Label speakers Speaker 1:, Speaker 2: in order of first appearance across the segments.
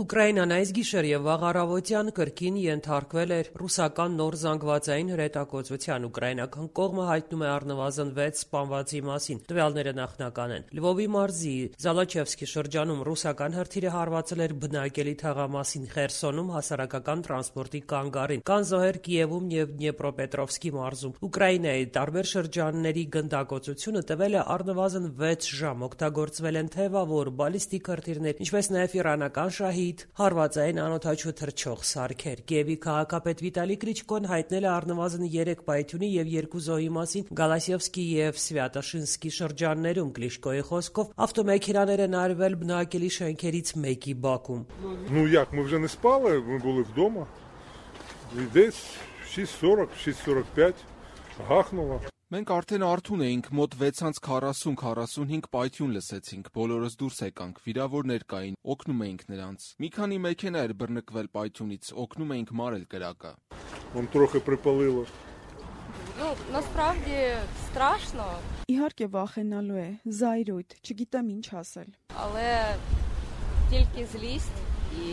Speaker 1: Ուկրաինան այս գիշեր եւ վաղ առավոտյան կրկին ենթարկվել էր ռուսական նոր զանգվածային հրետակոծության։ Ուկրաինական կողմը հայտնում է առնվազն 6 սպանվածի մասին։ Տվյալները նախնական են։ Լվովի մարզի Զալոչևսկի շրջանում ռուսական հրթիռը հարվածել էր բնակելի թաղամասին, Խերսոնում հասարակական տրանսպորտի կանգառին, կան զոհեր Կիևում եւ Դնեպրոպետրովսկի մարզում։ Ուկրաինայի տարբեր շրջանների գնդակոծությունը տևել է առնվազն 6 ժամ։ Օգտագործվել են թեվավոր, բալիստիկ հրթիռներ, ինչպես նաեւ իրանական շահիդ հարվածային անօդաչու թռչող սարքեր։ Կիևի քաղաքապետ Վիտալի Կլիչկոն հայտնել է առնվազն 3 պայթյունի եւ 2 զոհի մասին Գալասիևսկի եւ Սվյատոշինսկի շրջաններում։ Կլիչկոյի խոսքով ավտոմեքենաներ են արվել բնակելի շենքերից մեկի բակում։
Speaker 2: Мы вже не спали, ми були вдома. І десь 6:40, 6:45 гахнуло.
Speaker 3: Մենք արդեն արթուն էինք, մոտ 6:40-45 պայթյուն լսեցինք, բոլորս դուրս եկանք, վիրավորներ կային, օգնում էինք նրանց։ Մի քանի մեքենա էր բռնկվել պայթյունից, օգնում էինք մարել կրակը։
Speaker 2: Он трохи припалило.
Speaker 4: Насправді страшно.
Speaker 5: Իհարկե վախենալու է, զայրույթ, չգիտեմ ինչ ասել։
Speaker 4: Але тільки злість і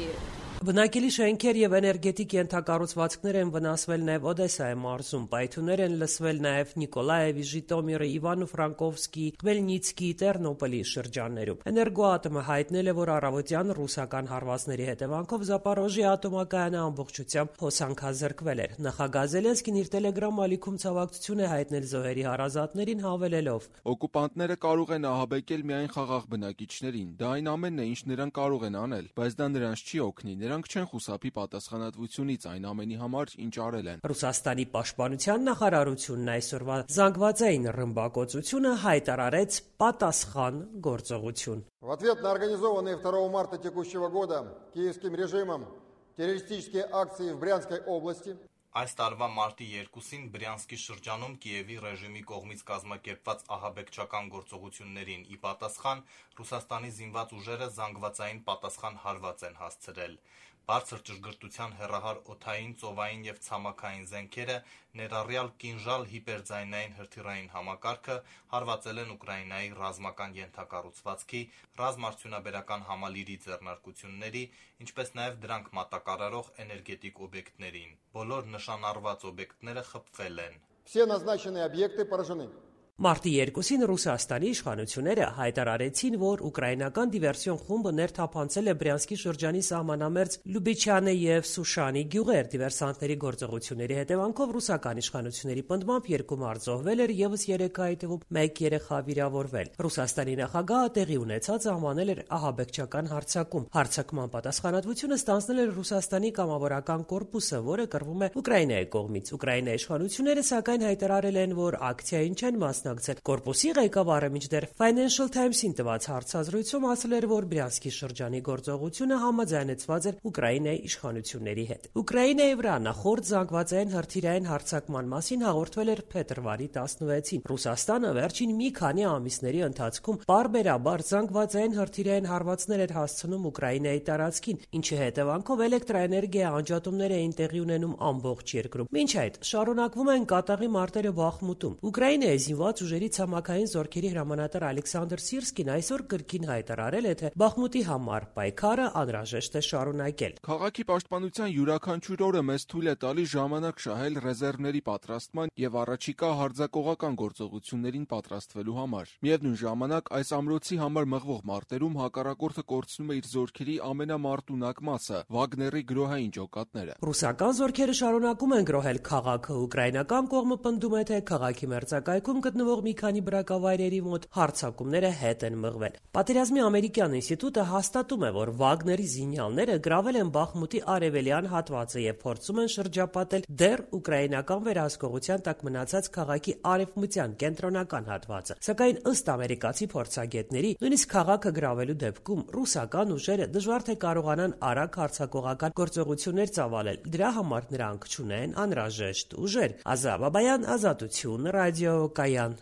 Speaker 1: Բնակելի շենքեր եւ էներգետիկ ենթակառուցվածքներ են վնասվել նաեւ Օդեսայի մարզում։ Պայթյուններ են լսվել նաեւ Նիկոլաևի, Ժիտոմիրի, Իվանո-Ֆրանկովսկի, Խմելնիցկի, Տերնոպոլի շրջաններում։ Էներգոատոմը հայտնել է, որ առավոտյան ռուսական հարվածների հետևանքով Զապորոժի ատոմակայանը ամբողջությամբ հոսանքազրկվել էր։ Նախագահ Զելենսկին իր Telegram ալիքում ցավակցություն է հայտնել զոհերի հարազատներին, հավելելով.
Speaker 3: Օկուպանտները կարող են ահաբեկել միայն խաղաղ բնակիչներին։ Դա այն ամենն է, ինչ նրանք կարող են անել, բայց դա նրանց չի օգնի։ Նրանք չեն խուսափի պատասխանատվությունից այն ամենի համար, ինչ արել են։
Speaker 1: Ռուսաստանի պաշտպանության նախարարությունն այսօրվա զանգվածային ռմբակոծությունը հայտարարեց պատասխան գործողություն։
Speaker 6: В ответ на организованные 2 марта текущего года киевским режимом террористические акции в Брянской области
Speaker 7: Այս տարվա մարտի 2-ին Բրյանսկի շրջանում Կիևի ռեժիմի կողմից կազմակերպված ահաբեկչական գործողություններին ի պատասխան Ռուսաստանի զինված ուժերը զանգվածային պատասխան հարված են հասցրել։ Բարձր ճշգրտության հեռահար օդային, ծովային եւ ցամաքային զենքերը, ներառյալ կինժալ հիպերձայնային հրթիռային համակարգը հարվածել են Ուկրաինայի ռազմական ենթակառուցվածքի, ռազմարդյունաբերական համալիրի ձեռնարկությունների, ինչպես նաեւ դրանք մատակարարող էներգետիկ օբյեկտներին։ Բոլոր նշանառված օբյեկտները խփվել են։
Speaker 6: Все назначенные объекты поражены.
Speaker 1: Մարտի 2-ին Ռուսաստանի իշխանությունները հայտարարեցին, որ ուկրաինական դիվերսիոն խումբը ներթափանցել է Բրյանսկի շրջանի սահմանամերձ Լյուբիչյանը եւ Սուշանի գյուղեր։ Դիվերսանտների գործողությունների հետևանքով ռուսական իշխանությունների պնդմամբ 2 մարդ զոհվել էր, եւս 3-այի թվում 1 երեխա վիրավորվել։ Ռուսաստանի նախագահը տեղի ունեցած անվանել էր ահաբեկչական հարձակում։ Հարձակման պատասխանատվությունը ստանձնել էր Ռուսաստանի կամավորական կորպուսը, որը կռվում է Ուկրաինայի կողմից։ Ուկրաինայի իշխանությունները սակայն հայտարարել են, որ ակցիային չեն մասնակցել։ Կորպուսի ղեկավարը մինչդեռ Financial Times-ին տված հարցազրույցում ասել էր, որ Բրյանսկի շրջանի գործողությունը համաձայնեցված էր Ուկրաինայի իշխանությունների հետ։ Ուկրաինայի վրա նախորդ զանգվածային հրթիռային հարձակման մասին հաղորդվել էր փետրվարի 16-ին։ Ռուսաստանը վերջին մի քանի ամիսների ընթացքում պարբերաբար զանգվածային հրթիռային հարվածներ էր հասցնում Ուկրաինայի տարածքին, ինչի հետևանքով էլեկտրաէներգիա անջատումներ էին տեղի ունենում ամբողջ երկրում։ Մինչ այդ շարունակվում են կատաղի մարտերը Բախմուտում։ Ուկրաինայի զինված ուժերի ցամաքային զորքերի հրամանատար Ալեքսանդր Սիրսկին այսօր կրկին հայտարարել է, թե Բախմուտի համար պայքարը անհրաժեշտ է շարունակել։
Speaker 3: Քաղաքի պաշտպանության յուրաքանչյուր օրը մեզ թույլ է տալիս ժամանակ շահել ռեզերվների պատրաստման եւ առաջիկա հարձակողական գործողություններին պատրաստվելու համար։ Միևնույն ժամանակ այս ամրոցի համար մղվող մարտերում հակառակորդը կորցնում է իր զորքերի ամենամարտունակ մասը՝ Վագների գրոհային ջոկատները։
Speaker 1: Ռուսական զորքերը շարունակում են գրոհել քաղաքը։ Ուկրաինական կողմը պնդում է, թե քաղաքի մերձակայքում գտնվող մի քանի բնակավայրերի մոտ հարձակումները հետ են մղվել։ Պատերազմի ամերիկյան ինստիտուտը հաստատում է, որ Վագների զինյալները գրավել են Բախմուտի արևելյան հատվածը եւ փորձում են շրջապատել դեռ ուկրաինական վերահսկողության տակ մնացած քաղաքի արևմտյան կենտրոնական հատվածը։ Սակայն ըստ ամերիկացի փորձագետների, նույնիսկ քաղաքը գրավելու դեպքում ռուսական ուժերը դժվար թե կարողանան արագ հարձակողական գործողություններ ծավալել։ Դրա համար նրանք չունեն անհրաժեշտ ուժեր։ Ազա Բաբայան, Ազատություն, ռադիո Կայան։